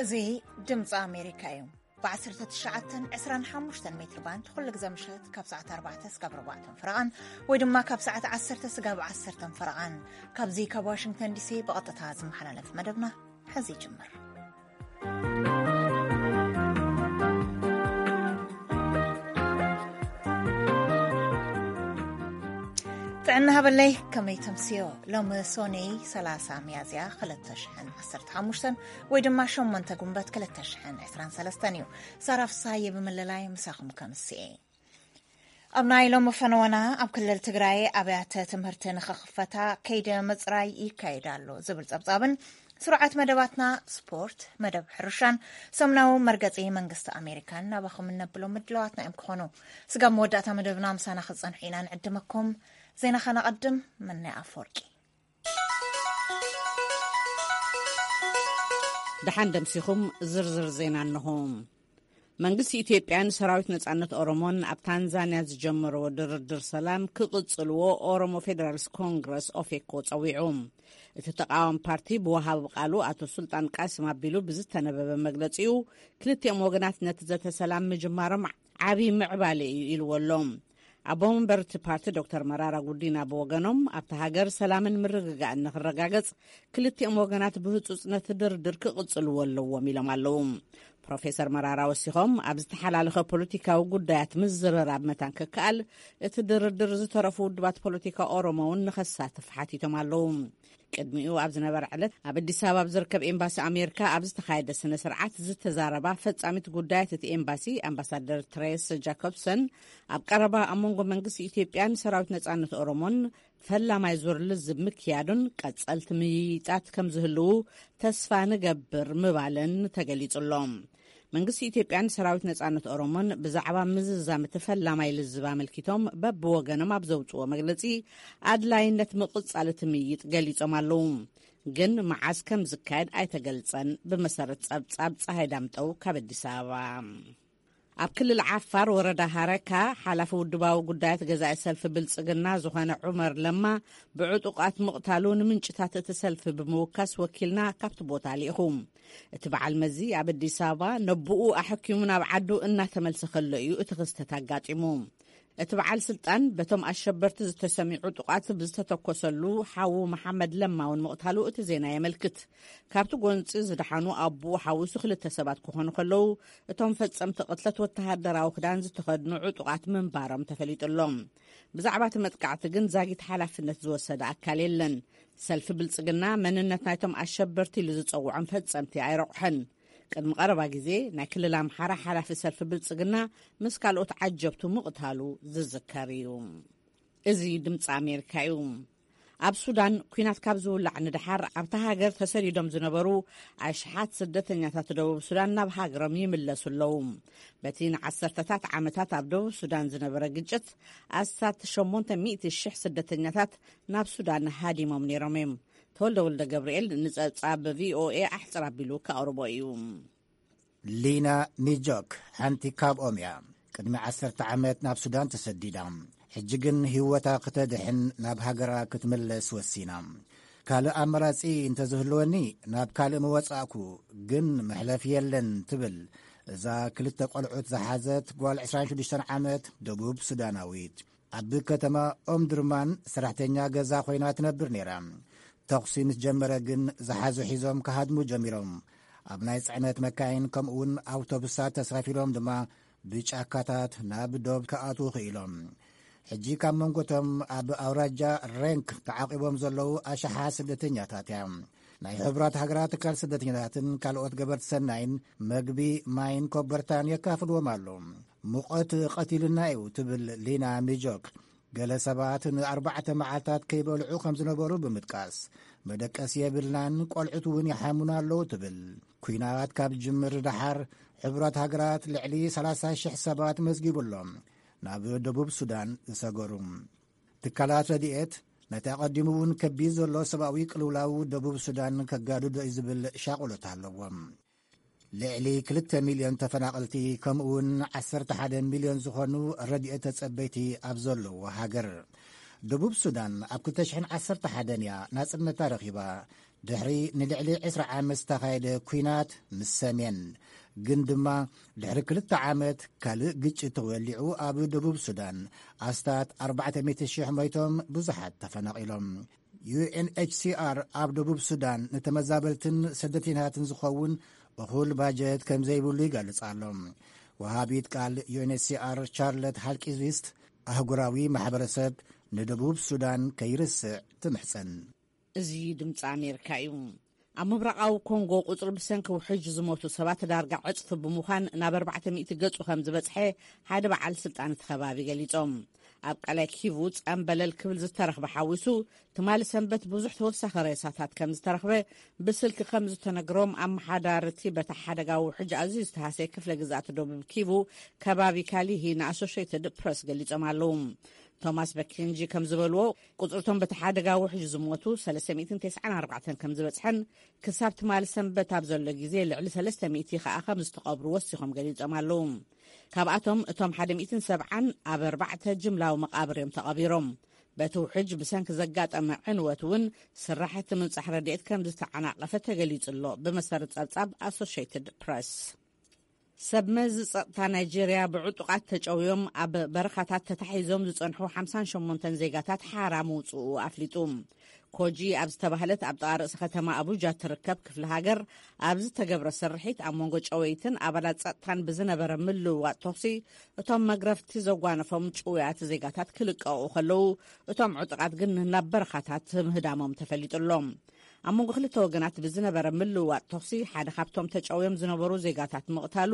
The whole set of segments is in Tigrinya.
እዚ ድምፂ ኣሜሪካ እዩ። ብ19 25 ሜትር ባንድ ኩሉ ግዜ ምሸት ካብ ሰዓት ኣርባዕተ ስጋብ ኣርባዕተ ፈረቓን ወይ ድማ ካብ ሰዓት ዓሰርተ ስጋብ ዓሰርተ ፈረቓን ካብዚ ካብ ዋሽንግተን ዲሲ ብቐጥታ ዝመሓላለፍ መደብና ሕዚ ይጅምር። ጥዕና ሃበለይ፣ ከመይ ተምስዮ? ሎሚ ሶኒ ሰላሳ ሚያዝያ ክልተ ሽሕን ዓሰርተ ሓሙሽተን ወይ ድማ ሸሞንተ ጉንበት ክልተ ሽሕን ዕስራን ሰለስተን እዩ። ሳራ ፍሳየ ብምልላይ ምሳኹም ከምስኤ። ኣብ ናይ ሎሚ ፈነወና፣ ኣብ ክልል ትግራይ ኣብያተ ትምህርቲ ንኽኽፈታ ከይደ ምፅራይ ይካየድ ኣሎ ዝብል ፀብፃብን ስርዓት መደባትና ስፖርት፣ መደብ ሕርሻን ሰሙናዊ መርገፂ መንግስቲ ኣሜሪካን ናባኹም እነብሎም ምድለዋትና እዮም ክኾኑ። ስጋብ መወዳእታ መደብና ምሳና ክትፀንሑ ኢና ንዕድመኩም። ዜና ከነቐድም። መናይ ኣፈወርቂ። ደሓን ደምሲኹም። ዝርዝር ዜና እንሆ። መንግስቲ ኢትዮጵያን ሰራዊት ነጻነት ኦሮሞን ኣብ ታንዛንያ ዝጀመርዎ ድርድር ሰላም ክቕጽልዎ ኦሮሞ ፌደራልስ ኮንግረስ፣ ኦፌኮ፣ ጸዊዑ። እቲ ተቃዋሚ ፓርቲ ብወሃቢ ቃሉ ኣቶ ሱልጣን ቃስም ኣቢሉ ብዝተነበበ መግለጺኡ፣ ክልቲኦም ወገናት ነቲ ዘተ ሰላም ምጅማሮም ዓቢ ምዕባለ እዩ ኢልዎ ኣሎ። ኣቦ መንበር እቲ ፓርቲ ዶክተር መራራ ጉዲና ብወገኖም፣ ኣብታ ሃገር ሰላምን ምርግጋእን ንክረጋገጽ ክልቲኦም ወገናት ብህጹጽ ነቲ ድርድር ክቕጽልዎ ኣለዎም ኢሎም ኣለዉ። ፕሮፌሰር መራራ ወሲኾም፣ ኣብ ዝተሓላለኸ ፖለቲካዊ ጉዳያት ምዝርራብ መታን ክከኣል፣ እቲ ድርድር ዝተረፉ ውድባት ፖለቲካ ኦሮሞ እውን ንኸሳትፍ ሓቲቶም ኣለዉ። ቅድሚኡ ኣብ ዝነበረ ዕለት ኣብ ኣዲስ ኣበባ ኣብ ዝርከብ ኤምባሲ ኣሜሪካ ኣብ ዝተኻየደ ስነ ስርዓት ዝተዛረባ ፈጻሚት ጉዳያት እቲ ኤምባሲ ኣምባሳደር ትሬስ ጃኮብሰን፣ ኣብ ቀረባ ኣብ መንጎ መንግስቲ ኢትዮጵያን ሰራዊት ነጻነት ኦሮሞን ፈላማይ ዙር ልዝብ ምክያዱን ቀጸልቲ ምይይጣት ከም ዝህልዉ ተስፋ ንገብር ምባለን ተገሊጹ ኣሎ። መንግስቲ ኢትዮጵያን ሰራዊት ነጻነት ኦሮሞን ብዛዕባ ምዝዛም እቲ ፈላማይ ልዝብ ኣመልኪቶም በብወገኖም ኣብ ዘውጽዎ መግለጺ፣ ኣድላይነት ምቕጻል እቲ ምይይጥ ገሊጾም ኣለዉ። ግን መዓስ ከም ዝካየድ ኣይተገልጸን። ብመሰረት ጸብጻብ ጸሃይ ዳምጠው ካብ ኣዲስ ኣበባ። ኣብ ክልል ዓፋር ወረዳ ሃረካ፣ ሓላፊ ውድባዊ ጉዳያት ገዛኢ ሰልፊ ብልጽግና ዝኾነ ዑመር ለማ ብዕጡቓት ምቕታሉ ንምንጭታት እቲ ሰልፊ ብምውካስ ወኪልና ካብቲ ቦታ ልኢኹ። እቲ በዓል መዚ ኣብ ኣዲስ ኣበባ ነብኡ ኣሐኪሙ ናብ ዓዱ እናተመልሰ ከሎ እዩ እቲ ክስተት ኣጋጢሙ። እቲ በዓል ስልጣን በቶም ኣሸበርቲ ዝተሰምዩ ዕጡቓት ብዝተተኮሰሉ ሓዉ መሓመድ ለማ እውን ምቕታሉ እቲ ዜና የመልክት። ካብቲ ጎንፂ ዝደሓኑ ኣቦኡ ሓዊሱ ክልተ ሰባት ክኾኑ ከለዉ፣ እቶም ፈጸምቲ ቅትለት ወተሃደራዊ ክዳን ዝተኸድኑ ዕጡቓት ምንባሮም ተፈሊጡ ኣሎ። ብዛዕባ እቲ መጥቃዕቲ ግን ዛጊት ሓላፍነት ዝወሰደ ኣካል የለን። ሰልፊ ብልጽግና መንነት ናይቶም ኣሸበርቲ ኢሉ ዝጸውዖም ፈጸምቲ ኣይረቑሐን። ቅድሚ ቀረባ ግዜ ናይ ክልል ኣምሓራ ሓላፊ ሰልፊ ብልጽግና ምስ ካልኦት ዓጀብቱ ምቕታሉ ዝዝከር እዩ። እዚ ድምፂ ኣሜሪካ እዩ። ኣብ ሱዳን ኲናት ካብ ዝውላዕ ንደሓር ኣብታ ሃገር ተሰዲዶም ዝነበሩ ኣሽሓት ስደተኛታት ደቡብ ሱዳን ናብ ሃገሮም ይምለሱ ኣለዉ። በቲ ንዓሰርተታት ዓመታት ኣብ ደቡብ ሱዳን ዝነበረ ግጭት ኣስታት ሸሞንተ ሚእቲ ሽሕ ስደተኛታት ናብ ሱዳን ሃዲሞም ነይሮም እዮም። ተወልደ ወልደ ገብርኤል ንጸብጻብ ቪኦኤ ኣሕጽር ኣቢሉ ከቕርቦ እዩ። ሊና ሚጆክ ሓንቲ ካብኦም እያ። ቅድሚ ዓሰርተ ዓመት ናብ ሱዳን ተሰዲዳ፣ ሕጂ ግን ህይወታ ክተድሕን ናብ ሃገራ ክትምለስ ወሲና። ካልእ ኣማራጺ እንተዝህልወኒ ናብ ካልእ ምወጻእኩ፣ ግን መሕለፊ የለን ትብል እዛ ክልተ ቆልዑት ዝሓዘት ጓል ዕስራን ሽዱሽተን ዓመት ደቡብ ሱዳናዊት። ኣብ ከተማ ኦምድርማን ሰራሕተኛ ገዛ ኮይና ትነብር ነይራ። ተኹሲ ምስ ጀመረ ግን ዝሓዙ ሒዞም ክሃድሙ ጀሚሮም። ኣብ ናይ ጽዕነት መካይን ከምኡውን ኣውቶቡሳት ተሳፊሮም ድማ ብጫካታት ናብ ዶብ ክኣትዉ ክኢሎም። ሕጂ ካብ መንጎቶም ኣብ ኣውራጃ ሬንክ ተዓቂቦም ዘለዉ ኣሽሓት ስደተኛታት እያ። ናይ ሕቡራት ሃገራት ትካል ስደተኛታትን ካልኦት ገበርቲ ሰናይን መግቢ፣ ማይን ኮበርታን የካፍልዎም ኣሎ። ሙቐት ቀቲሉና እዩ ትብል ሊና ሚጆክ፣ ገለ ሰባት ንኣርባዕተ መዓልታት ከይበልዑ ከም ዝነበሩ ብምጥቃስ፣ መደቀሲ የብልናን፣ ቆልዑት እውን ይሓሙና ኣለዉ ትብል። ኲናት ካብ ዝጅምር ደሓር፣ ሕቡራት ሃገራት ልዕሊ ሰላሳ ሽሕ ሰባት መዝጊቡ ኣሎ ናብ ደቡብ ሱዳን ዝሰገሩ። ትካላት ረድኤት ነቲ ኣቐዲሙ እውን ከቢድ ዘሎ ሰብኣዊ ቅልውላው ደቡብ ሱዳን ከጋድዶ እዩ ዝብል ሻቕሎት ኣለዎም። ልዕሊ ክልተ ሚልዮን ተፈናቐልቲ፣ ከምኡ እውን ዓሰርተ ሓደ ሚልዮን ዝኾኑ ረድኤት ተጸበይቲ ኣብ ዘለዎ ሃገር፣ ደቡብ ሱዳን ኣብ ክልተ ሽሕን ዓሰርተ ሓደን እያ ናጽነታ ረኺባ። ድሕሪ ንልዕሊ ዕስራ ዓመት ዝተኻየደ ኲናት ምስ ሰሜን፣ ግን ድማ ድሕሪ ክልተ ዓመት ካልእ ግጭት ተወሊዑ ኣብ ደቡብ ሱዳን ኣስታት ኣርባዕተ ሚእቲ ሽሕ ሞይቶም፣ ብዙሓት ተፈናቒሎም። ዩ ኤን ኤች ሲ ኣር ኣብ ደቡብ ሱዳን ንተመዛበልትን ስደተኛታትን ዝኸውን እኹል ባጀት ከም ዘይብሉ ይገልጽ ኣሎ። ወሃቢት ቃል ዩ ኤን ኤች ሲ ኣር ቻርለት ሃልቂዝዊስት ኣህጉራዊ ማሕበረሰብ ንደቡብ ሱዳን ከይርስዕ ትምሕጸን። እዚ ድምፂ ኣሜሪካ እዩ። ኣብ ምብራቓዊ ኮንጎ ቁፅሪ ብሰንኪ ውሕጅ ዝሞቱ ሰባት ዳርጋ ዕፅፊ ብምዃን ናብ ኣርባዕተ ሚእቲ ገፁ ከም ዝበፅሐ ሓደ በዓል ስልጣን እቲ ከባቢ ገሊፆም። ኣብ ቀላይ ኪቩ ጸምበለል ክብል ዝተረኽበ ሓዊሱ፣ ትማሊ ሰንበት ብዙሕ ተወሳኺ ሬሳታት ከም ዝተረኽበ ብስልኪ ከም ዝተነግሮም ኣመሓዳርቲ በታ ሓደጋ ውሕጅ ኣዝዩ ዝተሃሰየ ክፍለ ግዝኣት ደቡብ ኪቩ ከባቢ ካሊሂ ንኣሶሼትድ ፕረስ ገሊጾም ኣለዉ። ቶማስ በኪንጂ ከም ዝበልዎ፣ ቁጽርቶም በቲ ሓደጋ ውሕጅ ዝሞቱ ሰለስተ ሚእትን ተስዓን ኣርባዕተን ከም ዝበጽሐን፣ ክሳብ ትማሊ ሰንበት ኣብ ዘሎ ግዜ ልዕሊ ሰለስተ ሚእቲ ከኣ ከም ዝተቐብሩ ወሲኾም ገሊጾም ኣለዉ። ካብኣቶም እቶም ሓደ ሚእትን ሰብዓን ኣብ ኣርባዕተ ጅምላዊ መቓብር እዮም ተቐቢሮም። በቲ ውሕጅ ብሰንኪ ዘጋጠመ ዕንወት እውን ስራሕቲ ምብጻሕ ረድኤት ከም ዝተዓናቐፈ ተገሊጹ ኣሎ፣ ብመሰረት ጸብጻብ ኣሶሼትድ ፕረስ። ሰብ መዚ ጸጥታ ናይጄርያ ብዕጡቓት ተጨውዮም ኣብ በረኻታት ተታሒዞም ዝጸንሑ ሓምሳን ሸሞንተን ዜጋታት ሓራ ምውጽኡ ኣፍሊጡ። ኮጂ ኣብ ዝተባህለት ኣብ ጥቓ ርእሲ ከተማ ኣቡጃ ትርከብ ክፍለ ሃገር ኣብ ዝተገብረ ስርሒት፣ ኣብ መንጎ ጨወይትን ኣባላት ጸጥታን ብዝነበረ ምልውዋጥ ተኹሲ፣ እቶም መግረፍቲ ዘጓነፎም ጭውያት ዜጋታት ክልቀቑ ከለዉ፣ እቶም ዕጡቓት ግን ናብ በረኻታት ምህዳሞም ተፈሊጡ ኣሎ። ኣብ መንጎ ክልተ ወገናት ብዝነበረ ምልውዋጥ ተኹሲ፣ ሓደ ካብቶም ተጨውዮም ዝነበሩ ዜጋታት ምቕታሉ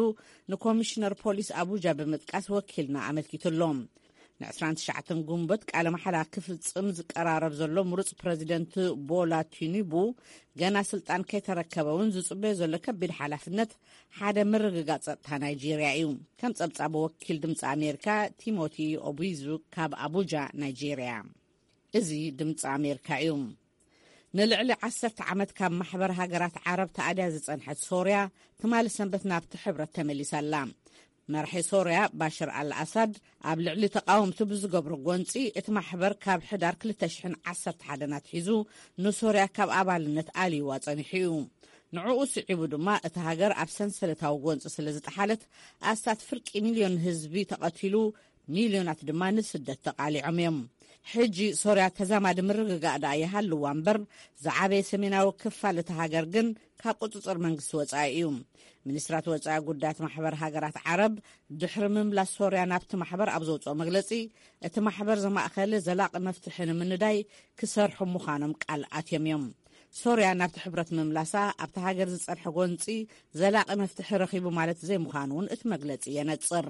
ንኮሚሽነር ፖሊስ ኣቡጃ ብምጥቃስ ወኪልና ኣመልኪቱ ኣሎ። ን ዕስራን ትሽዓተን ግንቦት ቃለ መሓላ ክፍጽም ዝቀራረብ ዘሎ ምሩጽ ፕረዚደንት ቦላ ቲኑቡ፣ ገና ስልጣን ከይተረከበ እውን ዝጽበዮ ዘሎ ከቢድ ሓላፍነት ሓደ ምርግጋጽ ጸጥታ ናይጄርያ እዩ። ከም ጸብጻብ ወኪል ድምጺ ኣሜሪካ ቲሞቲ ኦቢዙ ካብ ኣቡጃ፣ ናይጄርያ። እዚ ድምጺ ኣሜሪካ እዩ። ንልዕሊ ዓሰርተ ዓመት ካብ ማሕበር ሃገራት ዓረብ ተኣድያ ዝጸንሐት ሶርያ፣ ትማሊ ሰንበት ናብቲ ሕብረት ተመሊሳ ኣላ። መራሒ ሶርያ ባሽር ኣል ኣሳድ ኣብ ልዕሊ ተቃወምቱ ብዝገብሮ ጎንጺ፣ እቲ ማሕበር ካብ ሕዳር ክልተ ሽሕን ዓሰርተ ሓደን ኣትሒዙ ንሶርያ ካብ ኣባልነት ኣልይዋ ጸኒሑ እዩ። ንዕኡ ስዒቡ ድማ፣ እታ ሃገር ኣብ ሰንሰለታዊ ጎንጺ ስለ ዝጠሓለት፣ ኣስታት ፍርቂ ሚልዮን ህዝቢ ተቐቲሉ፣ ሚልዮናት ድማ ንስደት ተቓሊዖም እዮም። ሕጂ ሶርያ ተዛማዲ ምርግጋእ ደኣ ይሃልዋ እምበር፣ ዝዓበየ ሰሜናዊ ክፋል እታ ሃገር ግን ካብ ቁጽጽር መንግስቲ ወጻኢ እዩ። ሚኒስትራት ወጻኢ ጉዳያት ማሕበር ሃገራት ዓረብ፣ ድሕሪ ምምላስ ሶርያ ናብቲ ማሕበር ኣብ ዘውጽኦ መግለጺ፣ እቲ ማሕበር ዘማእኸለ ዘላቒ መፍትሒ ንምንዳይ ክሰርሑ ምዃኖም ቃል ኣትዮም እዮም። ሶርያ ናብቲ ሕብረት ምምላሳ፣ ኣብቲ ሃገር ዝጸንሐ ጎንጺ ዘላቒ መፍትሒ ረኺቡ ማለት ዘይምዃኑ እውን እቲ መግለጺ የነጽር።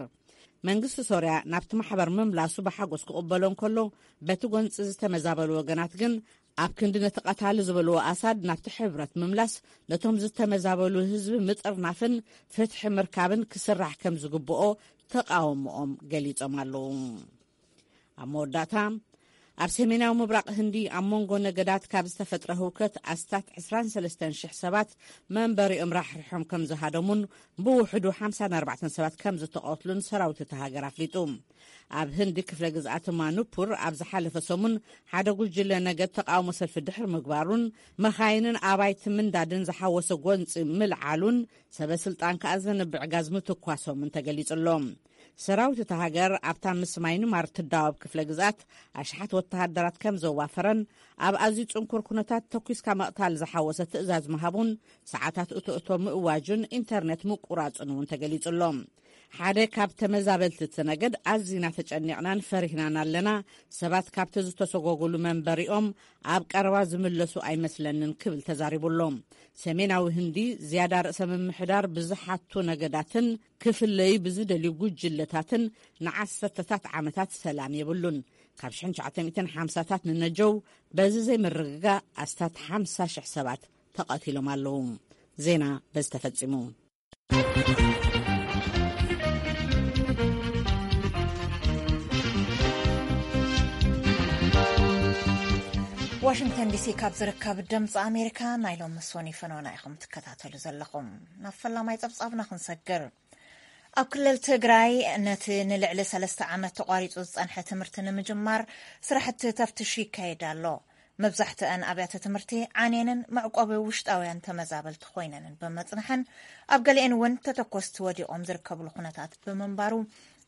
መንግስቲ ሶርያ ናብቲ ማሕበር ምምላሱ ብሓጎስ ክቕበሎ እንከሎ፣ በቲ ጎንጺ ዝተመዛበሉ ወገናት ግን፣ ኣብ ክንዲ ነቲ ቀታሊ ዝበልዎ ኣሳድ ናብቲ ሕብረት ምምላስ፣ ነቶም ዝተመዛበሉ ህዝቢ ምጥርናፍን ፍትሒ ምርካብን ክስራሕ ከም ዝግብኦ ተቃውሞኦም ገሊጾም ኣለዉ። ኣብ መወዳእታ፣ ኣብ ሰሜናዊ ምብራቕ ህንዲ ኣብ መንጎ ነገዳት ካብ ዝተፈጥረ ህውከት ኣስታት ዕስራን ሰለስተን ሽሕ ሰባት መንበሪኦም ራሕሪሖም ከም ዝሃደሙን ብውሕዱ ሓምሳን ኣርባዕተን ሰባት ከም ዝተቐትሉን ሰራዊት እታ ሃገር ኣፍሊጡ። ኣብ ህንዲ ክፍለ ግዝኣት ማኑፑር ኣብ ዝሓለፈ ሰሙን ሓደ ጉጅለ ነገድ ተቃውሞ ሰልፊ ድሕሪ ምግባሩን መኻይንን ኣባይቲ ምንዳድን ዝሓወሰ ጎንፂ ምልዓሉን ሰበ ስልጣን ከኣ ዘንብዕ ጋዝ ምትኳሶምን ተገሊጹ ኣሎ። ሰራዊት እታ ሃገር ኣብታ ምስ ማይንማር ትዳወብ ክፍለ ግዝኣት ኣሽሓት ወተሃደራት ከም ዘዋፈረን ኣብ ኣዝዩ ጽንኩር ኩነታት ተኲስካ ምቕታል ዝሓወሰ ትእዛዝ ምሃቡን ሰዓታት እቶ እቶ ምእዋጁን ኢንተርኔት ምቁራጹን እውን ተገሊጹ ኣሎ። ሓደ ካብ ተመዛበልቲ እቲ ነገድ፣ ኣዚና ተጨኒቕናን ፈሪህናን ኣለና፣ ሰባት ካብቲ ዝተሰጎጉሉ መንበሪኦም ኣብ ቀረባ ዝምለሱ ኣይመስለንን ክብል ተዛሪቡ ኣሎ። ሰሜናዊ ህንዲ ዝያዳ ርእሰ ምምሕዳር ብዝሓቱ ነገዳትን ክፍለዩ ብዝደልዩ ጉጅለታትን ንዓሰርተታት ዓመታት ሰላም የብሉን። ካብ ሽሕን ትሽዓተ ሚእትን ሓምሳታት ንነጀው በዚ ዘይምርግጋእ ኣስታት ሓምሳ ሽሕ ሰባት ተቐቲሎም ኣለዉ። ዜና በዚ ተፈጺሙ። ዋሽንግተን ዲሲ ካብ ዝርከብ ድምፂ ኣሜሪካ ናይ ሎሚ ሶኒ ፈኖና ኢኹም ትከታተሉ ዘለኹም። ናብ ፈላማይ ጸብጻብና ክንሰግር። ኣብ ክልል ትግራይ ነቲ ንልዕሊ ሰለስተ ዓመት ተቋሪጹ ዝጸንሐ ትምህርቲ ንምጅማር ስራሕቲ ተፍትሽ ይካየድ ኣሎ። መብዛሕትአን ኣብያተ ትምህርቲ ዓንየንን መዕቆቢ ውሽጣውያን ተመዛበልቲ ኮይነንን ብምጽንሐን፣ ኣብ ገሊአን እውን ተተኮስቲ ወዲቖም ዝርከብሉ ኩነታት ብምንባሩ፣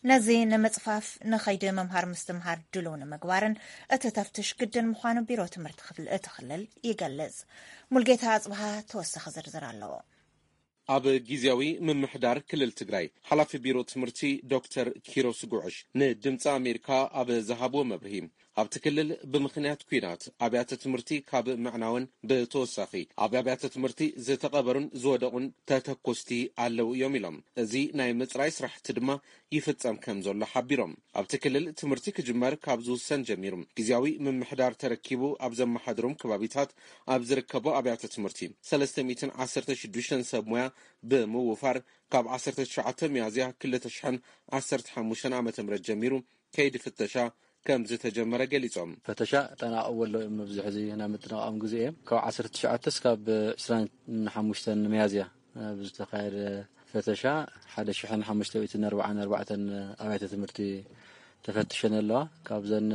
ነዚ ንምጽፋፍ ንኸይዲ ምምሃር ምስትምሃር ድሉው ንምግባርን እቲ ተፍትሽ ግድን ምዃኑ ቢሮ ትምህርቲ ክፍል እቲ ክልል ይገልጽ። ሙልጌታ ኣጽብሃ ተወሳኺ ዝርዝር ኣለዎ። ኣብ ግዜያዊ ምምሕዳር ክልል ትግራይ ሓላፊ ቢሮ ትምህርቲ ዶክተር ኪሮስ ጉዕሽ ንድምፂ ኣሜሪካ ኣብ ዝሃብዎ መብርሂ፣ ኣብቲ ክልል ብምኽንያት ኲናት ኣብያተ ትምህርቲ ካብ ምዕናወን ብተወሳኺ ኣብ ኣብያተ ትምህርቲ ዝተቐበሩን ዝወደቑን ተተኮስቲ ኣለዉ እዮም ኢሎም። እዚ ናይ ምፅራይ ስራሕቲ ድማ ይፍጸም ከም ዘሎ ሓቢሮም። ኣብቲ ክልል ትምህርቲ ክጅመር ካብ ዝውሰን ጀሚሩ ግዜያዊ ምምሕዳር ተረኪቡ ኣብ ዘመሓድሮም ከባቢታት ኣብ ዝርከቡ ኣብያተ ትምህርቲ ሰለስተ ሚእትን ዓሰርተ ሽዱሽተን ሰብ ሞያ ብምውፋር ካብ ዓሰርተ ትሽዓተ ሚያዝያ ክልተ ሽሕን ዓሰርተ ሓሙሽተን ዓመተ ምህረት ጀሚሩ ከይዲ ፍተሻ ከም ዝተጀመረ ገሊጾም። ፈተሻ ጠናቒዎ ኣሎ እዮም። ኣብዚ ሕዚ ናይ ምጥንቓቖም ግዜ እዮም። ካብ ዓሰርተ ትሽዓተ እስካብ ዕስራን ሓሙሽተን ሚያዝያ ኣብ ዝተኻየደ ፈተሻ ሓደ ሽሕን ሓሙሽተ ሚእትን ኣርባዓን ኣርባዕተን ኣብያተ ትምህርቲ ተፈትሸን ኣለዋ። ካብዘን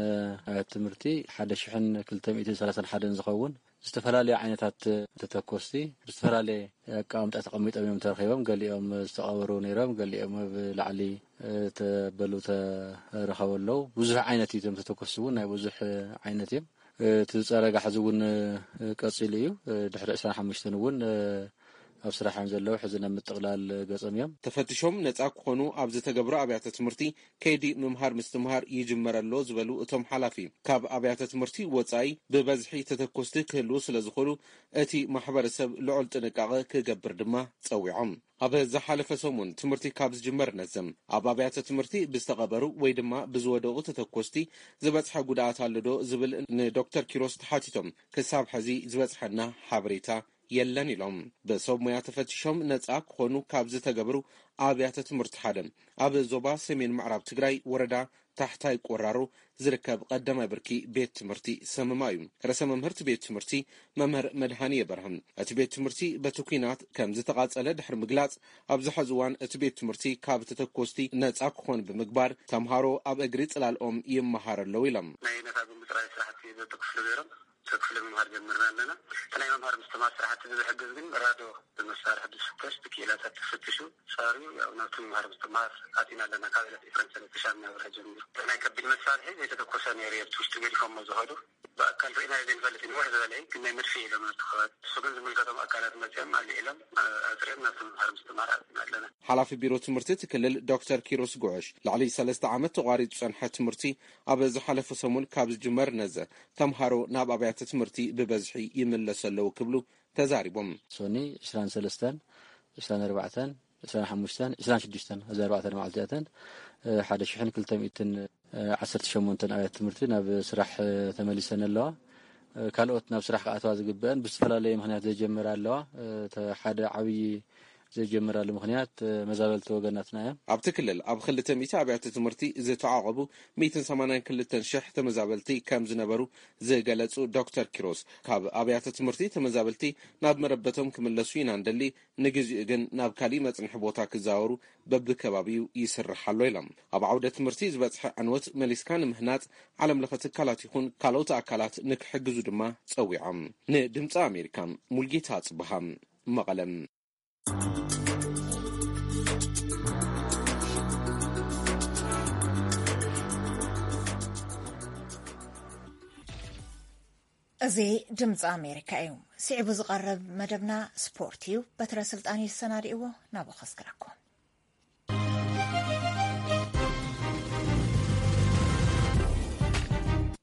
ኣብያተ ትምህርቲ ሓደ ሽሕን ክልተ ሚእትን ሰላሳን ሓደን ዝኸውን ዝተፈላለዩ ዓይነታት ተተኮስቲ ብዝተፈላለየ ኣቀማምጣ ተቐሚጦም እዮም ተረኺቦም። ገሊኦም ዝተቐበሩ ነይሮም፣ ገሊኦም ኣብ ላዕሊ ተበሉ ተረኸቡ ኣለዉ። ብዙሕ ዓይነት እዩ። እቶም ተተኮስቲ እውን ናይ ብዙሕ ዓይነት እዮም። እቲ ዝፀረጋ ሕዚ እውን ቀፂሉ እዩ። ድሕሪ ዕስራን ሓሙሽተን እውን ኣብ ስራሕ እዮም ዘለዉ። ሕዚ ናብ ምጥቕላል ገጾም እዮም። ተፈትሾም ነጻ ክኾኑ ኣብ ዝተገብሩ ኣብያተ ትምህርቲ ከይዲ ምምሃር ምስትምሃር ይጅመር ኣሎ ዝበሉ እቶም ሓላፊ፣ ካብ ኣብያተ ትምህርቲ ወጻኢ ብበዝሒ ተተኮስቲ ክህልዉ ስለ ዝኽእሉ እቲ ማሕበረሰብ ልዑል ጥንቃቐ ክገብር ድማ ጸዊዖም። ኣብ ዝሓለፈ ሰሙን ትምህርቲ ካብ ዝጅመር ነዘም ኣብ ኣብያተ ትምህርቲ ብዝተቐበሩ ወይ ድማ ብዝወደቑ ተተኮስቲ ዝበጽሐ ጉድኣት ኣሎ ዶ ዝብል ንዶክተር ኪሮስ ተሓቲቶም፣ ክሳብ ሕዚ ዝበጽሐና ሓበሬታ የለን ኢሎም። ብሰብ ሞያ ተፈቲሾም ነጻ ክኾኑ ካብ ዝተገብሩ ኣብያተ ትምህርቲ ሓደ ኣብ ዞባ ሰሜን ምዕራብ ትግራይ ወረዳ ታሕታይ ቆራሮ ዝርከብ ቀዳማይ ብርኪ ቤት ትምህርቲ ሰመማ እዩ። ርእሰ መምህርቲ ቤት ትምህርቲ መምህር መድሃኒ የበርሃም፣ እቲ ቤት ትምህርቲ በቲ ኲናት ከም ዝተቓጸለ ድሕሪ ምግላጽ፣ ኣብዚ ሕዚ እዋን እቲ ቤት ትምህርቲ ካብ ተተኮስቲ ነጻ ክኾን ብምግባር፣ ተምሃሮ ኣብ እግሪ ጽላልኦም ይመሃር ኣለዉ ኢሎም። ናይ ነታ ብምጽራይ ስራሕቲ ዘተኮስሉ ነይሮም። ሰብ ክፍሊ ምምሃር ጀምርና ኣለና። እቲ ናይ መምሃር ምስትምሃር ስራሕቲ ብዝሕግዝ ግን ራዶ ብመሳርሒ ብዝፍተሽ ብክኢላታት ተፈትሹ ጻርዩ ያው ናብቲ ምምሃር ምስትምሃር ኣቲና ኣለና። ካብ ዕለት ዕስራን ሰለስተን ሻምና ወርሒ ጀሚሩ። እቲ ናይ ከቢድ መሳርሒ ዘይተተኮሰ ነይሩ፣ ኣብቲ ውሽጢ ገዲፎሞ ዝኸዱ ብኣካል ርኢናዮ ዘይንፈልጥ እዩ። ንውሕ ዝበለ እዩ፣ ግን ናይ መድፍኢ ኢሎም ነቲ ከባቢ። እሱ ግን ዝምልከቶም ኣካላት መጺኦም ኣልዒሎም፣ ኣ-፣ ኣጽሪዮም ናብቲ ምምሃር ምስትምሃር ኣቲና ኣለና። ሓላፊ ቢሮ ትምህርቲ እቲ ክልል ዶክተር ኪሮስ ጉዕሽ፣ ልዕሊ ሰለስተ ዓመት ተቋሪጹ ዝጸንሐ ትምህርቲ ኣብ ዝሓለፈ ሰሙን ካብ ዝጅመር ነዘ ተምሃሮ ናብ ኣብያተ ትምህርቲ ብበዝሒ ይምለሱ ኣለዉ ክብሉ ተዛሪቦም። ሶኒ ዕስራን ሰለስተን፣ ዕስራን ኣርባዕተን፣ ዕስራን ሓሙሽተን፣ ዕስራን ሽዱሽተን፣ እዚ ኣርባዕተ መዓልቲ እተን፣ እ፣ ሓደ ሽሕን ክልተ ሚእትን ዓሰርተ ሸሞንተን ኣብያተ ትምህርቲ ናብ ስራሕ፣ እ፣ ተመሊሰን ኣለዋ። እ፣ ካልኦት ናብ ስራሕ ክኣተዋ ዝግበአን ብዝተፈላለየ ምኽንያት ዘይጀመራ ኣለዋ። እ፣ ተ-፣ ሓደ ዓብዪ ዘይጀመራሉ ምኽንያት፣ እ፣ መዛበልቲ ወገናትና እዮም። ኣብቲ ክልል ኣብ ክልተ ሚእቲ ኣብያተ ትምህርቲ ዝተዓቖቡ ሚእትን ሰማንያን ክልተን ሽሕ ተመዛበልቲ ከም ዝነበሩ ዝገለጹ ዶክተር ኪሮስ፣ ካብ ኣብያተ ትምህርቲ ተመዛበልቲ ናብ መረበቶም ክምለሱ ኢና እንደሊ፣ ንግዚኡ ግን ናብ ካሊእ መጽንሒ ቦታ ክዛወሩ በብከባቢኡ ይስራሕ ኣሎ ኢሎም። ኣብ ዓውደ ትምህርቲ ዝበጽሐ ዕንወት መሊስካ ንምህናጽ ዓለም ለኸ ትካላት ይኹን ካልኦት ኣካላት ንክሕግዙ ድማ ጸዊዖም። ንድምፂ ኣሜሪካ ሙልጌታ ጽብሃ፣ መቐለም። እዚ ድምፂ ኣሜሪካ እዩ። ስዒቡ ዝቐርብ መደብና ስፖርት እዩ። በትረ ስልጣን እዩ ዝሰናድእዎ፣ ናብኡ ከስግረኩም።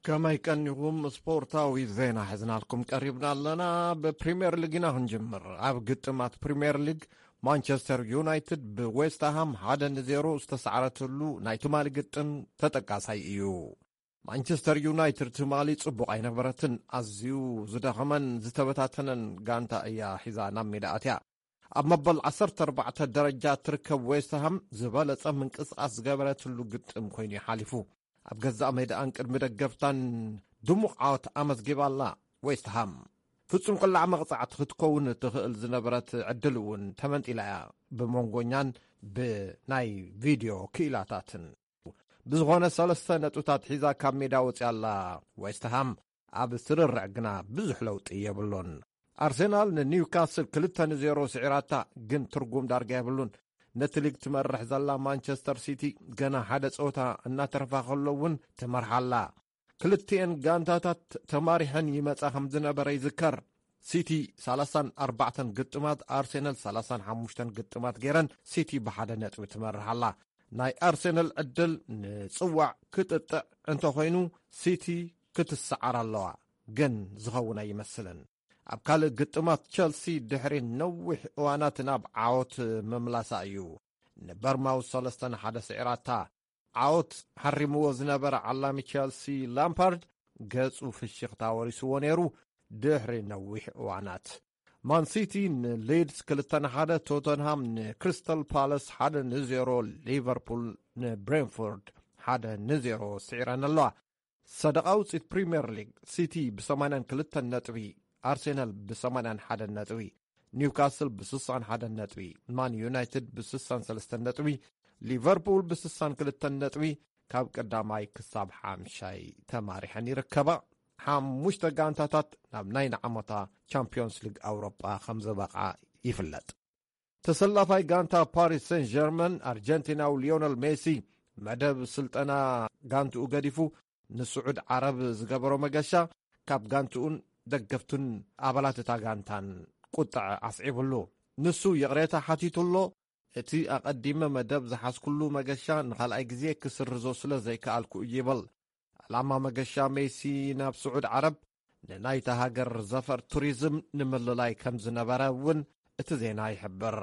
ከመይ ቀኒኹም? ስፖርታዊ ዜና ሒዝናልኩም ቀሪብና ኣለና። ብፕሪምየር ሊግ ኢና ክንጅምር። ኣብ ግጥማት ፕሪምየር ሊግ ማንቸስተር ዩናይትድ ብዌስትሃም ሓደ ንዜሮ ዝተሳዕረትሉ ናይ ትማሊ ግጥም ተጠቃሳይ እዩ። ማንቸስተር ዩናይትድ ትማሊ ጽቡቕ ኣይነበረትን። ኣዝዩ ዝደኸመን ዝተበታተነን ጋንታ እያ ሒዛ ናብ ሜዳ ኣትያ። ኣብ መበል ዓሰርተ ኣርባዕተ ደረጃ ትርከብ ዌስትሃም ዝበለጸ ምንቅስቓስ ዝገበረትሉ ግጥም ኮይኑ እዩ ሓሊፉ። ኣብ ገዛእ ሜዳኣን ቅድሚ ደገፍታን ድሙቕ ዓወት ኣመዝጊባ ኣላ ዌስትሃም። ፍጹም ቅላዕ መቕጻዕቲ ክትከውን እትኽእል ዝነበረት ዕድል እውን ተመንጢላ እያ ብመንጎኛን ብናይ ቪድዮ ክኢላታትን። ብዝኾነ ሰለስተ ነጥብታት ሒዛ ካብ ሜዳ ወጺኣ ኣላ ዌስትሃም። ኣብ ስርርዕ ግና ብዙሕ ለውጢ የብሉን። ኣርሴናል ንኒውካስል ክልተ ንዜሮ ስዒራታ፣ ግን ትርጉም ዳርጋ የብሉን። ነቲ ሊግ ትመርሕ ዘላ ማንቸስተር ሲቲ ገና ሓደ ጸወታ እናተረፋ ከሎ እውን ትመርሓ ኣላ። ክልቲኤን ጋንታታት ተማሪሐን ይመጻ ከም ዝነበረ ይዝከር። ሲቲ ሰላሳን ኣርባዕተን ግጥማት፣ ኣርሴናል ሰላሳን ሓሙሽተን ግጥማት ገይረን፣ ሲቲ ብሓደ ነጥቢ ትመርሕ ኣላ። ናይ ኣርሴናል ዕድል ንጽዋዕ ክጥጥዕ እንተኾይኑ፣ ሲቲ ክትሰዓር ኣለዋ፣ ግን ዝኸውን ኣይመስልን። ኣብ ካልእ ግጥማት፣ ቸልሲ ድሕሪ ነዊሕ እዋናት ናብ ዓወት ምምላሳ እዩ። ንበርማውዝ ሰለስተ ንሓደ ስዒራታ። ዓወት ሓሪምዎ ዝነበረ ዓላሚ ቸልሲ ላምፓርድ ገጹ ፍሽኽታ ወሪስዎ ነይሩ። ድሕሪ ነዊሕ እዋናት፣ ማን ሲቲ ንሊድስ ክልተ ንሓደ፣ ቶተንሃም ንክሪስታል ፓላስ ሓደ ንዜሮ፣ ሊቨርፑል ንብሬንፎርድ ሓደ ንዜሮ ስዒረን ኣለዋ። ሰደቓ ውፅኢት ፕሪምየር ሊግ፣ ሲቲ ብ82 ነጥቢ፣ ኣርሴናል ብ81 ነጥቢ፣ ኒውካስል ብ61 ነጥቢ፣ ማን ዩናይትድ ብ63 ነጥቢ፣ ሊቨርፑል ብ62 ነጥቢ ካብ ቀዳማይ ክሳብ ሓምሻይ ተማሪሐን ይርከባ። ሓሙሽተ ጋንታታት ናብ ናይ ንዓመታ ቻምፒዮንስ ሊግ ኣውሮጳ ከም ዝበቕዓ ይፍለጥ። ተሰላፋይ ጋንታ ፓሪስ ሴን ጀርመን፣ ኣርጀንቲናዊ ሊዮነል ሜሲ፣ መደብ ስልጠና ጋንትኡ ገዲፉ ንስዑድ ዓረብ ዝገበሮ መገሻ፣ ካብ ጋንትኡን ደገፍቱን ኣባላት እታ ጋንታን ቁጥዐ ኣስዒቡሉ። ንሱ ይቕሬታ ሓቲቱ ኣሎ። እቲ ኣቐዲመ መደብ ዝሓዝኩሉ መገሻ ንኻልኣይ ግዜ ክስርዞ ስለ ዘይከኣልኩ እዩ ይብል። ዕላማ መገሻ ሜሲ ናብ ስዑድ ዓረብ ንናይታ ሃገር ዘፈር ቱሪዝም ንምልላይ ከም ዝነበረ እውን እቲ ዜና ይሕብር።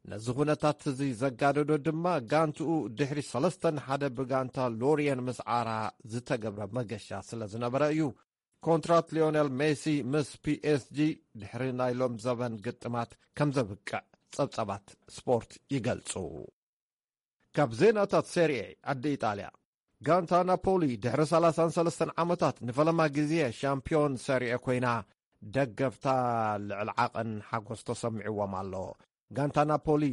ነዚ ኩነታት እዚ ዘጋደዶ ድማ ጋንትኡ ድሕሪ ሰለስተ ንሓደ ብጋንታ ሎሪየን ምስዓራ ዝተገብረ መገሻ ስለ ዝነበረ እዩ። ኮንትራት ሊዮኔል ሜሲ ምስ ፒኤስጂ ድሕሪ ናይ ሎም ዘበን ግጥማት ከም ዘብቅዕ ጸብጸባት ስፖርት ይገልጹ። ካብ ዜናታት ሴሪኤ ዓዲ ኢጣልያ፣ ጋንታ ናፖሊ ድሕሪ ሰላሳን ሰለስተን ዓመታት ንፈለማ ግዜ ሻምፒዮን ሴሪኤ ኮይና፣ ደገፍታ ልዕሊ ዓቐን ሓጎስ ተሰሚዕዎም ኣሎ። ጋንታ ናፖሊ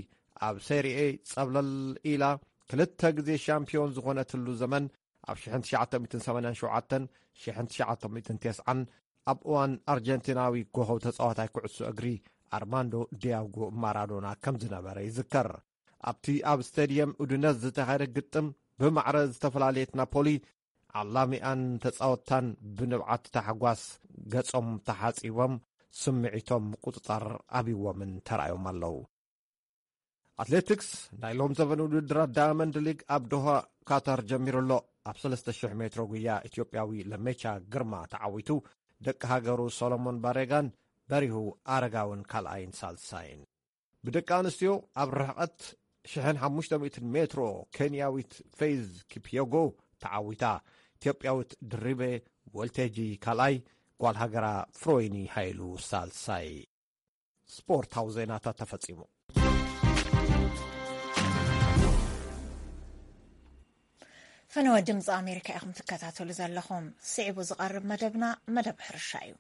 ኣብ ሴሪኤ ጸብለል ኢላ ክልተ ግዜ ሻምፒዮን ዝኾነትሉ ዘመን፣ ኣብ ሽሕን ትሽዓተ ሚእትን ሰማንያን ሸውዓተን፣ ሽሕን ትሽዓተ ሚእትን ተስዓን፣ ኣብ እዋን ኣርጀንቲናዊ ኮኸብ ተጻዋታይ ኩዕሶ እግሪ ኣርማንዶ ዲያጎ ማራዶና ከም ዝነበረ ይዝከር። ኣብቲ ኣብ ስቴድየም ኡዲነዝ ዝተኻየደ ግጥም፣ ብማዕረ ዝተፈላለየት ናፖሊ፣ ዓላሚኣን ተጻወትታን ብንብዓት ታሕጓስ ገጾም ተሓጺቦም፣ ስምዒቶም ምቁጽጻር ኣብይዎምን ተራእዮም ኣለዉ። ኣትሌቲክስ፣ ናይ ሎም ዘበን ውድድራት ዳያመንድ ሊግ ኣብ ዶሃ ካታር ጀሚሩ ኣሎ። ኣብ ሰለስተ ሽሕ ሜትሮ ጉያ ኢትዮጵያዊ ለሜቻ ግርማ ተዓዊቱ፣ ደቂ ሃገሩ ሰሎሞን ባሬጋን በሪሁ ኣረጋውን ካልኣይን ሳልሳይን። ብደቂ ኣንስትዮ ኣብ ርሕቐት ሽሕን ሓሙሽተ ሚእትን ሜትሮ ኬንያዊት ፌዝ ኪፕዮጎ ተዓዊታ። ኢትዮጵያዊት ድሪቤ ወልቴጂ ካልኣይ፣ ጓል ሃገራ ፍሮይኒ ሃይሉ ሳልሳይ። ስፖርታዊ ዜናታት ተፈጺሙ። ፈነወ ድምፂ ኣሜሪካ ኢኹም ትከታተሉ ዘለኹም። ስዒቡ ዝቐርብ መደብና መደብ ሕርሻ እዩ።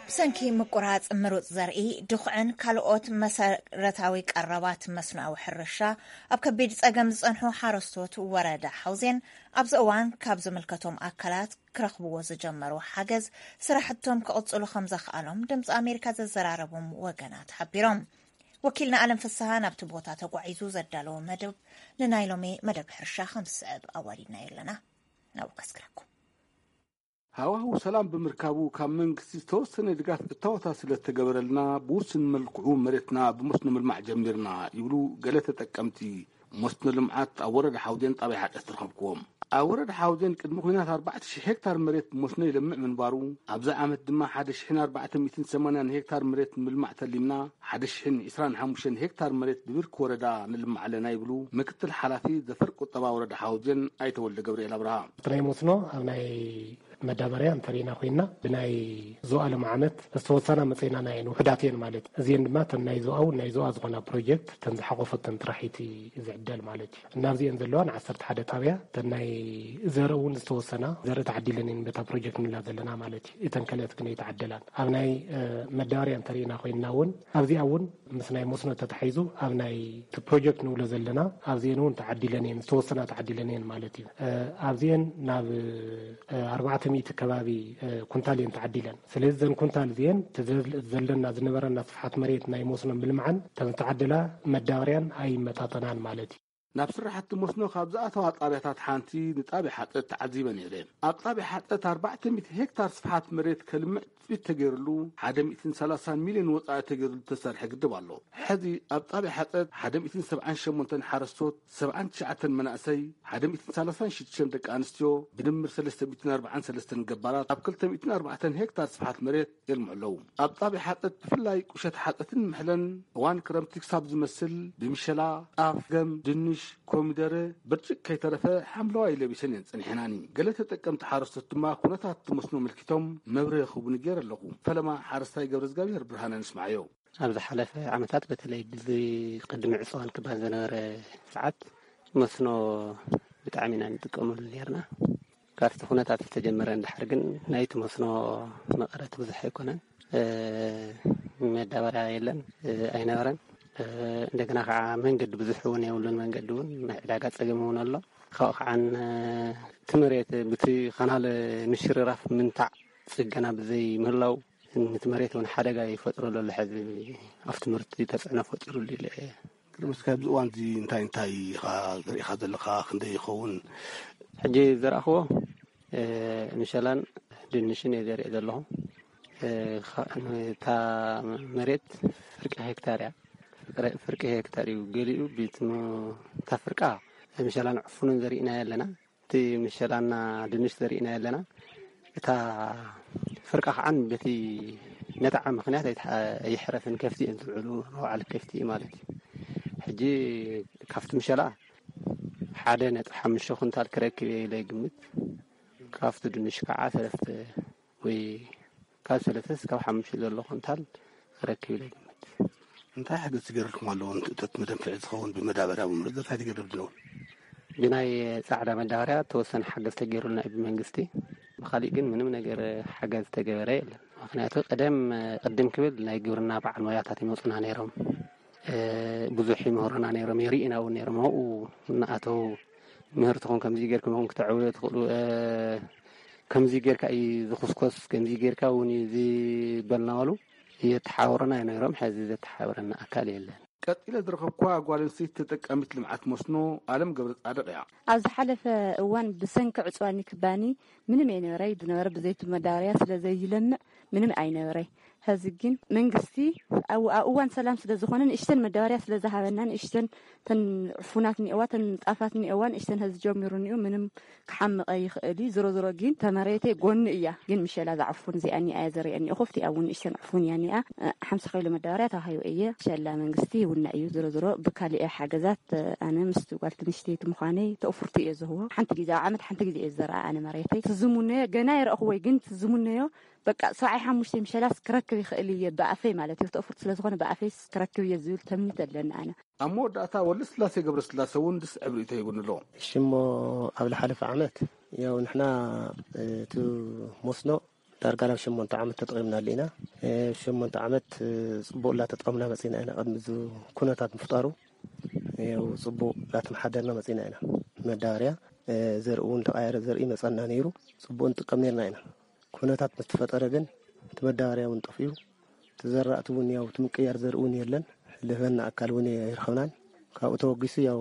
ብሰንኪ ምቁራፅ ምሩፅ ዘርኢ፣ ድኹዕን ካልኦት መሰረታዊ ቀረባት መስኖኣዊ ሕርሻ ኣብ ከቢድ ፀገም ዝፀንሑ ሓረስቶት ወረዳ ሓውዜን ኣብዚ እዋን ካብ ዝምልከቶም ኣካላት ክረኽብዎ ዝጀመሩ ሓገዝ ስራሕቶም ክቕፅሉ ከም ዘኽኣሎም ድምፂ ኣሜሪካ ዘዘራረቦም ወገናት ሓቢሮም። ወኪልና ኣለም ፍስሃ ናብቲ ቦታ ተጓዒዙ ዘዳለዎ መደብ ንናይ ሎሚ መደብ ሕርሻ ከም ዝስዕብ ኣዋዲድናዮ ኣለና። ናብኡ ከስግረኩም። ሃዋህው ሰላም ብምርካቡ ካብ መንግስቲ ዝተወሰነ ድጋፍ እታወታት ስለ ዝተገበረልና ብውስን መልክዑ መሬትና ብመስኖ ምልማዕ ጀሚርና ይብሉ ገለ ተጠቀምቲ። መስኖ ልምዓት ኣብ ወረዳ ሓውዜን ጣብያ ሓደስ ዝረኸብኩዎም። ኣብ ወረዳ ሓውዜን ቅድሚ ኲናት ኣርባዕተ ሽሕ ሄክታር መሬት ብመስኖ ይለምዕ ምንባሩ፣ ኣብዚ ዓመት ድማ ሓደ ሽሕን ኣርባዕተ ሚእትን ሰማንያን ሄክታር መሬት ንምልማዕ ተሊምና፣ ሓደ ሽሕን ዕስራን ሓሙሽተን ሄክታር መሬት ብብርኪ ወረዳ ንልምዕ ኣለና ይብሉ ምክትል ሓላፊ ዘፈር ቁጠባ ወረዳ ሓውዜን ኣይተ ወልደ ገብርኤል ኣብርሃ። እቲ ናይ መስኖ ኣብ ናይ መዳበርያ እንተሪእና ኮይና ብናይ ዞኣ ሎም ዓመት ዝተወሰና መፀይናና እየን፣ ውሕዳት እየን ማለት እዩ። እዚአን ድማ እተን ናይ ዞኣ እውን ናይ ዞኣ ዝኾና ፕሮጀክት እተን ዝሓቆፈተን ጥራሒቲ ዝዕደል ማለት እዩ። እናብዚአን ዘለዋ ንዓሰርተ ሓደ ጣብያ እተን ናይ ዘርኢ እውን ዝተወሰና ዘርኢ ተዓዲለን እየን በታ ፕሮጀክት ንብላ ዘለና ማለት እዩ። እተን ከልኦት ግን ኣይተዓደላን። ኣብ ናይ መዳበርያ እንተሪእና ኮይንና እውን ኣብዚኣ እውን ምስ ናይ መስኖ ተታሒዙ ኣብ ናይ እቲ ፕሮጀክት ንብሎ ዘለና ኣብዚአን እውን ተዓዲለን እየን፣ ዝተወሰና ተዓዲለን እየን ማለት እዩ። ኣብዚአን ናብ ኣርባዕተ ሚእቲ ከባቢ ኩንታል እየን ተዓዲለን። ስለዚ እዘን ኩንታል እዚአን ዘለና ዝነበረና ስፍሓት መሬት ናይ መስኖ ምልምዓን እተን ዝተዓደላ መዳበርያን ኣይመጣጠናን ማለት እዩ። ናብ ስራሕቲ መስኖ ካብ ዝኣተዋ ጣብያታት ሓንቲ ንጣብያ ሓጠት ተዓዚበ ነይረ። ኣብ ጣብያ ሓጠት ኣርባዕተ ሚእቲ ሄክታር ስፍሓት መሬት ከልምዕ ትፅቢት ተገይርሉ ሓደ ሚእትን ሰላሳን ሚልዮን ወፃኢ ተገይርሉ ዝተሰርሐ ግድብ ኣሎ። ሕዚ ኣብ ጣብያ ሓጠት ሓደ ሚእትን ሰብዓን ሸሞንተን ሓረስቶት፣ ሰብዓን ትሽዓተን መናእሰይ፣ ሓደ ሚእትን ሰላሳን ሽዱሽተን ደቂ ኣንስትዮ፣ ብድምር ሰለስተ ሚእትን ኣርባዓን ሰለስተን ገባራት ኣብ ክልተ ሚእትን ኣርባዕተን ሄክታር ስፍሓት መሬት የልምዑ ኣለዉ። ኣብ ጣብያ ሓጠት ብፍላይ ቁሸት ሓጠትን ምሕለን እዋን ክረምቲ ክሳብ ዝመስል ብምሸላ፣ ጣፍ፣ ገም፣ ድንሽ፣ ኮሚደረ፣ ብርጭቅ ከይተረፈ ሓምለዋይ ለቢሰን እየን ጸኒሐናኒ። ገለ ተጠቀምቲ ሓረስቶት ድማ ኩነታት እቲ መስኖ ኣመልኪቶም መብርሂ ክህቡኒ ገይረ ኣለኹ። ፈለማ ሓረስታይ ገብረ እግዚኣብሔር ብርሃነ ንስማዓዮ። ኣብ ዝሓለፈ ዓመታት በተለይ ብዚ ቅድሚ ዕፅዋን ክባን ዝነበረ ሰዓት መስኖ ብጣዕሚ ኢና ንጥቀመሉ ነርና። ካብቲ ኩነታት ዝተጀመረ እንድሕር ግን ናይቲ መስኖ መቐረት ብዙሕ ኣይኮነን። መዳበርያ የለን፣ ኣይነበረን። እንደገና ከዓ መንገዲ ብዙሕ እውን የብሉን። መንገዲ እውን ናይ ዕዳጋ ፀገም እውን ኣሎ። ካብኡ ከዓ እቲ መሬት ብቲ ካናል ምሽርራፍ ምንታዕ ፅገና ብዘይ ምህላው ነቲ መሬት እውን ሓደጋ ይፈጥረሉ ኣሎ። ሕዚ ኣብቲ ምህርቲ ተፅዕኖ ፈጢሩሉ ኢለ እየ። ቅድሚ እስከ ኣብዚ እዋን እዚ እንታይ እንታይ ኢኻ ዘሪእኻ ዘለኻ? ክንደይ ይኸውን? ሕጂ ዘርኣኽዎ ምሸላን ድንሽን እየ ዘርኢ ዘለኹ። እታ መሬት ፍርቂ ሄክታር እያ። ፍርቂ ሄክታር እዩ። ገሊኡ እታ ፍርቃ ምሸላን ዕፉንን ዘሪእና ኣለና። እቲ ምሸላና ድንሽ ዘሪእና ኣለና። እታ ፍርቃ ከዓን በቲ ነታዓ ምክንያት ኣይሕረፍን። ከፍቲ እየን ዝውዕሉ፣ መውዓሊ ከፍቲ እዩ ማለት እዩ። ሕጂ ካብቲ ምሸላ ሓደ ነጥቢ ሓሙሽተ ኩንታል ክረክብ እየ ኢለ ይግምት። ካብቲ ድንሽ ከዓ ሰለስተ ወይ ካብ ሰለስተ እስካብ ሓሙሽተ ዘሎ ኩንታል ክረክብ ኢለ ይግምት። እንታይ ሓገዝ ትገብርልኩም ኣለዎ? ንትእጠት መደንፍዒ ዝኸውን ብመዳበርያ ብምርት እንታይ ትገብር ኣለዎ? ብናይ ጻዕዳ መዳበርያ ተወሰነ ሓገዝ ተገይሩልና እዩ ብመንግስቲ። ብኻሊእ ግን ምንም ነገር ሓገዝ ተገበረ የለን። ምክንያቱ ቀደም ቅድም ክብል ናይ ግብርና በዓል ሞያታት ይመፁና ነይሮም። ብዙሕ ይምህሩና ነይሮም፣ የርእና እውን ነይሮም። ኣብኡ እናኣተው ምህርትኹም ከምዚ ጌርኩም ኢኹም ክተዕብዮ ትኽእሉ፣ ከምዚ ጌርካ እዩ ዝኹስኮስ፣ ከምዚ ጌርካ እውን እዩ ዝበልናበሉ የተሓባብሩና ነይሮም። ሕዚ ዘተሓባብረና ኣካል የለን። ቀጺለ ዝረኸብኩዋ ጓል ኣንስተይቲ ተጠቃሚት ልምዓት መስኖ ኣለም ገብረ ጻድቕ እያ። ኣብ ዝሓለፈ እዋን ብሰንኪ ዕጽዋኒ ክባኒ ምንም ኣይነበረይ። ዝነበረ ብዘይቲ መዳበርያ ስለ ዘይለምዕ ምንም ኣይነበረይ። ሕዚ ግን መንግስቲ ኣብ ኣብ እዋን ሰላም ስለ ዝኾነ ንእሽተን መዳበርያ ስለ ዝሃበና ንእሽተን ተን ዕፉናት እኒአዋ ተን ጣፋት እኒአዋ ንእሽተን ሕዚ ጀሚሩ እኒኡ ምንም ክሓምቕ ኣይኽእል እዩ። ዝሮ ዝሮ ግን ተመሬተይ ጎኒ እያ። ግን ምሸላ ዝዓፉን እዚኣ እኒኣ እያ ዘርእየኒ። እኹፍቲ እውን ንእሽተን ዕፉን እያ እኒኣ። ሓምሳ ኪሎ መዳበርያ ተዋሂቡ እየ። ሸላ መንግስቲ ይውነ እዩ። ዝሮ ዝሮ ብካሊእ ሓገዛት ኣነ ምስቲ ጓል ትንሽተይቲ ምዃነይ ተእፉርቲ እየ ዝህቦ። ሓንቲ ግዜ ኣብ ዓመት ሓንቲ ግዜ እየ ዝዘርኣ ኣነ መሬተይ። ትዝሙነዮ ገና ይረእኽዎይ ግን ትዝሙነዮ በቃ ሰብዓይ ሓሙሽተ ምሸላስ ክረክብ ይኽእል እየ ብኣፈይ ማለት እዩ። ተእፉርቲ ስለ ዝኾነ ብኣፈይስ ክረክብ እየ ዝብል ተምኒት ኣለኒ ኣነ። ኣብ መወዳእታ ወልደስላሴ ገብረስላሴ እውን ዝስዕብ ርእይቶ ሂቡኒ ኣሎ። ሽሞ ኣብ ዝሓለፈ ዓመት ያው ንሕና እቲ መስኖ ዳርጋ ናብ ሸሞንተ ዓመት ተጠቒምናሉ ኢና። ሸሞንተ ዓመት ፅቡቕ እናተጠቐምና መፂና ኢና። ቅድሚ እዚ ኩነታት ምፍጣሩ ያው ፅቡቕ እናተመሓደርና መፂና ኢና። መዳበርያ ዘርኢ እውን ተቓየረ ዘርኢ መፀና ነይሩ። ፅቡቕ ንጥቀም ነርና ኢና። ኩነታት ምስ ተፈጠረ ግን እቲ መዳበርያ እውን ጠፊኡ። እቲ ዘራእቲ እውን ያው እቲ ምቅያር ዘርኢ እውን የለን። ልህበና ኣካል እውን ኣይረኸብናን። ካብኡ ተወጊሱ ያው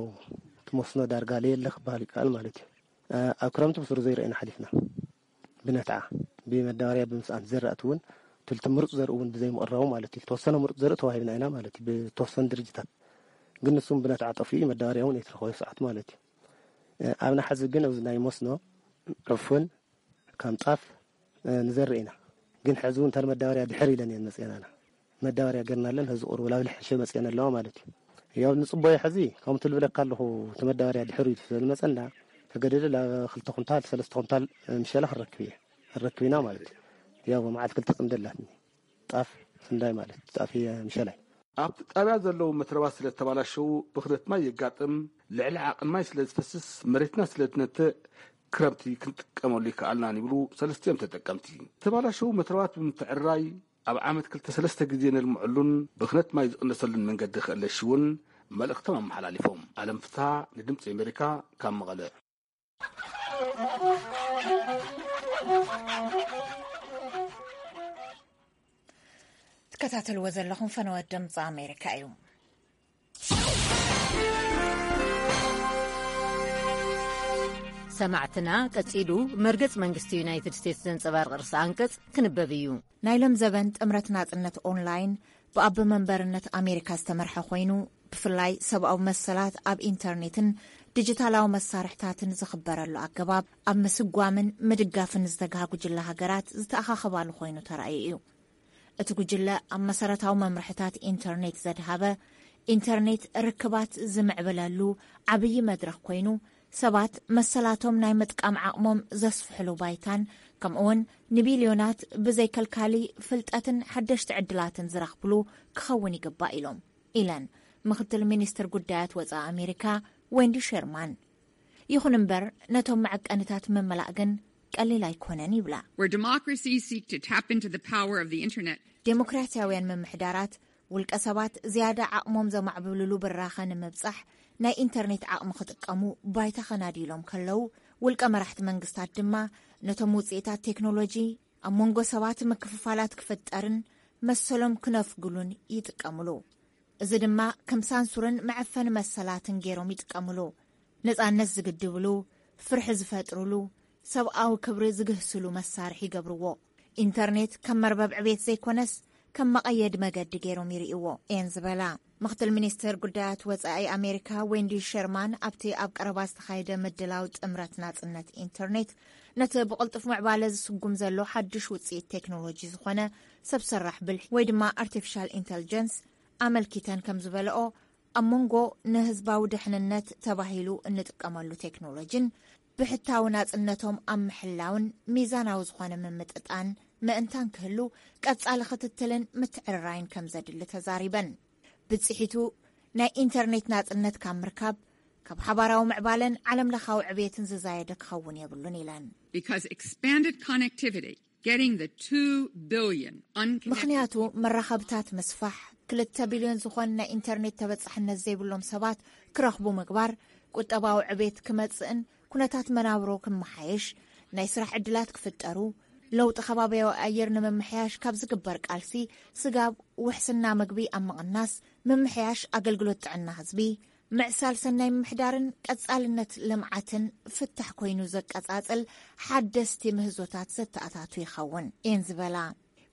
እቲ መስኖ ዳርጋ ለየለ ክበሃል ይከኣል ማለት እዩ። ኣብ ክረምቲ ብስሩ ዘይረአና ሓሊፍና። ብነትዓ ብመዳበርያ ብምስኣን ዘራእቲ እውን ትልቲ ምሩፅ ዘርኢ እውን ብዘይምቕራቡ ማለት እዩ። ዝተወሰነ ምሩፅ ዘርኢ ተዋሂብና ኢና ማለት እዩ ብተወሰኑ ድርጅታት። ግን ንሱም ብነትዓ ጠፊኡ መዳበርያ እውን ኣይትረኸበ ሰዓት ማለት እዩ። ኣብ ናሓዚ ግን ኣብዚ ናይ መስኖ ዕፉን ከም ጣፍ ንዘርእ ኢና። ግን ሕዚ እውን ተን መዳበርያ ድሕር ኢለን እየን መፅአናና። መዳበርያ ገርናለን ሕዚ ቁርብ ላብ ልሕሸ መፅአን ኣለዋ ማለት እዩ። ያው ንፅቦዮ ሕዚ ከምቲ ልብለካ ኣለኹ እቲ መዳበርያ ድሕር ኢሉ ስለዝመፀና ተገደደ ላብ ክልተ ኩንታል ሰለስተ ኩንታል ምሸላ ክረክብ እየ። ክንረክብ ኢና ማለት እዩ። ያው መዓት ክልተ ጽምዲ ኣላትኒ። ጣፍ ስንዳይ ማለት ጣፍ እየ ምሸላይ። ኣብቲ ጣብያ ዘለዉ መትረባት ስለ ዝተባላሸዉ ብኽነት ማይ የጋጥም፣ ልዕሊ ዓቕን ማይ ስለ ዝፈስስ መሬትና ስለ ዝነትእ ክረምቲ ክንጥቀመሉ ይከኣልናን ይብሉ ሰለስቲኦም ተጠቀምቲ። ዝተባላሸዉ መትረባት ብምትዕርራይ ኣብ ዓመት ክልተ ሰለስተ ግዜ ነልምዐሉን ብኽነት ማይ ዝቕነሰሉን መንገዲ ክእለሽ እውን መልእኽቶም ኣመሓላሊፎም። ኣለም ፍትሃ ንድምፂ ኣሜሪካ ካብ መቐለ። ትከታተልዎ ዘለኹም ፈነወት ድምፂ ኣሜሪካ እዩ። ሰማዕትና፣ ቀጺሉ መርገጽ መንግስቲ ዩናይትድ ስቴትስ ዘንጸባርቕ ርእሰ ኣንቀጽ ክንበብ እዩ። ናይ ሎም ዘበን ጥምረት ናጽነት ኦንላይን ብኣቦ መንበርነት ኣሜሪካ ዝተመርሐ ኮይኑ፣ ብፍላይ ሰብኣዊ መሰላት ኣብ ኢንተርኔትን ዲጂታላዊ መሳርሕታትን ዝኽበረሉ ኣገባብ ኣብ ምስጓምን ምድጋፍን ዝተግሃ ጉጅለ ሃገራት ዝተኣኻኸባሉ ኮይኑ ተራእዩ እዩ። እቲ ጉጅለ ኣብ መሰረታዊ መምርሕታት ኢንተርኔት ዘድሃበ፣ ኢንተርኔት ርክባት ዝምዕብለሉ ዓብዪ መድረኽ ኮይኑ፣ ሰባት መሰላቶም ናይ ምጥቃም ዓቕሞም ዘስፍሕሉ ባይታን፣ ከምኡውን ንቢልዮናት ብዘይከልካሊ ፍልጠትን ሓደሽቲ ዕድላትን ዝረኽብሉ ክኸውን ይግባእ ኢሎም፣ ኢለን ምኽትል ሚኒስትር ጉዳያት ወጻኢ ኣሜሪካ ዌንዲ ሸርማን። ይኹን እምበር፣ ነቶም መዐቀንታት ምምላእ ግን ቀሊል ኣይኮነን ይብላ። Where democracies seek to tap into the power of the internet, ዴሞክራሲያውያን ምምሕዳራት ውልቀ ሰባት ዝያዳ ዓቕሞም ዘማዕብሉሉ ብራኸ ንምብጻሕ ናይ ኢንተርኔት ዓቕሚ ክጥቀሙ ባይታ ከናድዩሎም ከለዉ፣ ውልቀ መራሕቲ መንግስታት ድማ ነቶም ውጽኢታት ቴክኖሎጂ ኣብ መንጎ ሰባት ምክፍፋላት ክፍጠርን መሰሎም ክነፍግሉን ይጥቀምሉ። እዚ ድማ ከም ሳንሱርን መዐፈኒ መሰላትን ገይሮም ይጥቀምሉ። ነጻነት ዝግድብሉ፣ ፍርሒ ዝፈጥሩሉ፣ ሰብኣዊ ክብሪ ዝግህስሉ መሳርሒ ይገብርዎ። ኢንተርኔት ከም መርበብ ዕቤት ዘይኮነስ ከም መቐየዲ መገዲ ገይሮም ይርእይዎ እየን ዝበላ ምኽትል ሚኒስትር ጉዳያት ወጻኢ ኣሜሪካ ዌንዲ ሸርማን፣ ኣብቲ ኣብ ቀረባ ዝተኻየደ ምድላው ጥምረት ናጽነት ኢንተርኔት ነቲ ብቕልጡፍ ምዕባለ ዝስጉም ዘሎ ሓድሽ ውጽኢት ቴክኖሎጂ ዝኾነ ሰብ ሰራሕ ብልሒ ወይ ድማ ኣርቲፊሻል ኢንተልጀንስ ኣመልኪተን ከም ዝበለኦ፣ ኣብ መንጎ ንህዝባዊ ድሕንነት ተባሂሉ እንጥቀመሉ ቴክኖሎጂን ብሕታዊ ናጽነቶም ኣብ ምሕላውን ሚዛናዊ ዝኾነ ምምጥጣን ምእንታን ክህሉ ቀጻሊ ክትትልን ምትዕርራይን ከም ዘድሊ ተዛሪበን። ብጽሒቱ ናይ ኢንተርኔት ናጽነት ካብ ምርካብ፣ ካብ ሓባራዊ ምዕባለን ዓለም ለኻዊ ዕብየትን ዝዛየደ ክኸውን የብሉን ኢለን። Because expanded connectivity, getting the two billion unconnected ምኽንያቱ መራኸብታት ምስፋሕ፣ ክልተ ቢልዮን ዝኾን ናይ ኢንተርኔት ተበጻሕነት ዘይብሎም ሰባት ክረኽቡ ምግባር፣ ቁጠባዊ ዕቤት ክመጽእን ኩነታት መናብሮ ክመሓየሽ፣ ናይ ስራሕ ዕድላት ክፍጠሩ፣ ለውጢ ከባቢያዊ ኣየር ንምምሕያሽ ካብ ዝግበር ቃልሲ፣ ስጋብ ውሕስና ምግቢ ኣብ ምቕናስ፣ ምምሕያሽ ኣገልግሎት ጥዕና ህዝቢ፣ ምዕሳል ሰናይ ምምሕዳርን ቀጻልነት ልምዓትን ፍታሕ ኮይኑ ዘቀጻጽል ሓደስቲ ምህዞታት ዘተኣታቱ ይኸውን እየን ዝበላ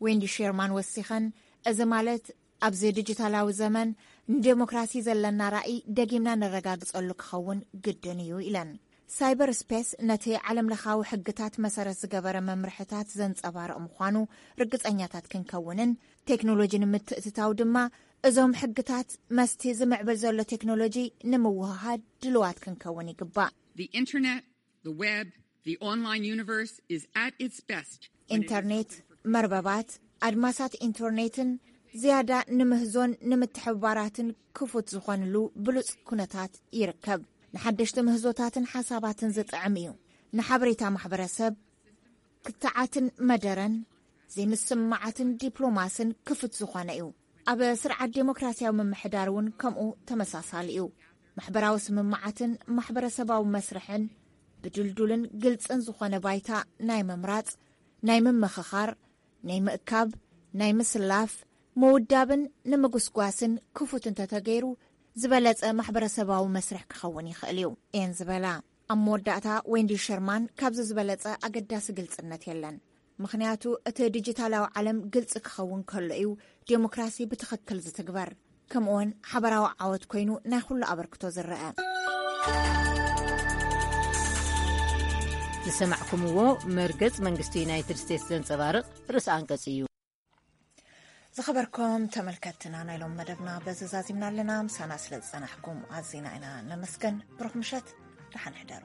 ዌንዲ ሼርማን ወሲኸን፣ እዚ ማለት ኣብዚ ዲጂታላዊ ዘመን ንዴሞክራሲ ዘለና ራእይ ደጊምና ነረጋግጸሉ ክኸውን ግድን እዩ ኢለን። ሳይበር ስፔስ ነቲ ዓለም ለኻዊ ሕግታት መሰረት ዝገበረ መምርሕታት ዘንጸባርቕ ምዃኑ ርግጸኛታት ክንከውንን ቴክኖሎጂ ንምትእትታው ድማ እዞም ሕግታት መስቲ ዝምዕብል ዘሎ ቴክኖሎጂ ንምውህሃድ ድልዋት ክንከውን ይግባእ። The internet, the web, the online universe is at its best when it is ኢንተርኔት፣ መርበባት፣ ኣድማሳት ኢንተርኔትን ዝያዳ ንምህዞን ንምትሕብባራትን ክፉት ዝኾንሉ ብሉጽ ኩነታት ይርከብ። ንሓደሽቲ ምህዞታትን ሓሳባትን ዝጥዕም እዩ። ንሓበሬታ ማሕበረሰብ ክትዓትን መደረን ዘይምስምማዓትን ዲፕሎማስን ክፉት ዝኾነ እዩ። ኣብ ስርዓት ዴሞክራሲያዊ ምምሕዳር እውን ከምኡ ተመሳሳሊ እዩ። ማሕበራዊ ስምምዓትን ማሕበረሰባዊ መስርሕን ብድልዱልን ግልጽን ዝኾነ ባይታ ናይ ምምራጽ፣ ናይ ምምኽኻር፣ ናይ ምእካብ፣ ናይ ምስላፍ፣ ምውዳብን ንምጉስጓስን ክፉት እንተተገይሩ ዝበለጸ ማሕበረሰባዊ መስርሕ ክኸውን ይኽእል እዩ እየን ዝበላ። ኣብ መወዳእታ ዌንዲ ሸርማን፣ ካብዚ ዝበለጸ ኣገዳሲ ግልጽነት የለን። ምኽንያቱ እቲ ዲጂታላዊ ዓለም ግልጺ ክኸውን ከሎ እዩ ዴሞክራሲ ብትኽክል ዝትግበር። ከምኡውን ሓበራዊ ዓወት ኮይኑ ናይ ኩሉ ኣበርክቶ ዝረአ። ዝሰማዕኩምዎ መርገጽ መንግስቲ ዩናይትድ ስቴትስ ዘንጸባርቕ ርእሰ ኣንቀጽ እዩ። ዝኸበርኩም ተመልከትና፣ ናይ ሎም መደብና በዚ ዛዚምና ኣለና። ምሳና ስለ ዝጸናሕኩም ኣዚና ኢና ነመስገን። ብሩኽ ምሸት፣ ደሓን ሕደሩ።